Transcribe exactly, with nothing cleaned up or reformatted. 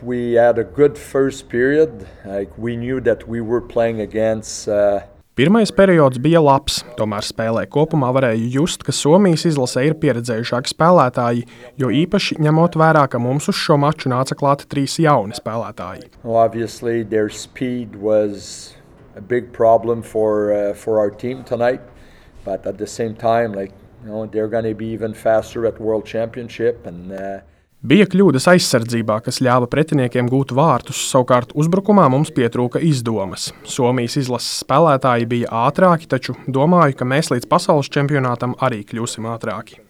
We had a good first period. Like we knew that we were playing against uh, Pirmais periods bija labs, tomēr spēlē kopumā varēja just, ka Somijas izlasē ir pieredzējušāki spēlētāji, jo īpaši ņemot vērā, ka mums uz šo maču nāca klāti trīs jauni spēlētāji. well, obviously their speed was a big problem for uh, for our team tonight, but at the same time, like you know, they're going to be even faster at World Championship and. Uh, Bija kļūdas aizsardzībā, kas ļāva pretiniekiem gūt vārtus, savukārt uzbrukumā mums pietrūka izdomas. Somijas izlases spēlētāji bija ātrāki, taču domāju, ka mēs līdz pasaules čempionātam arī kļūsim ātrāki.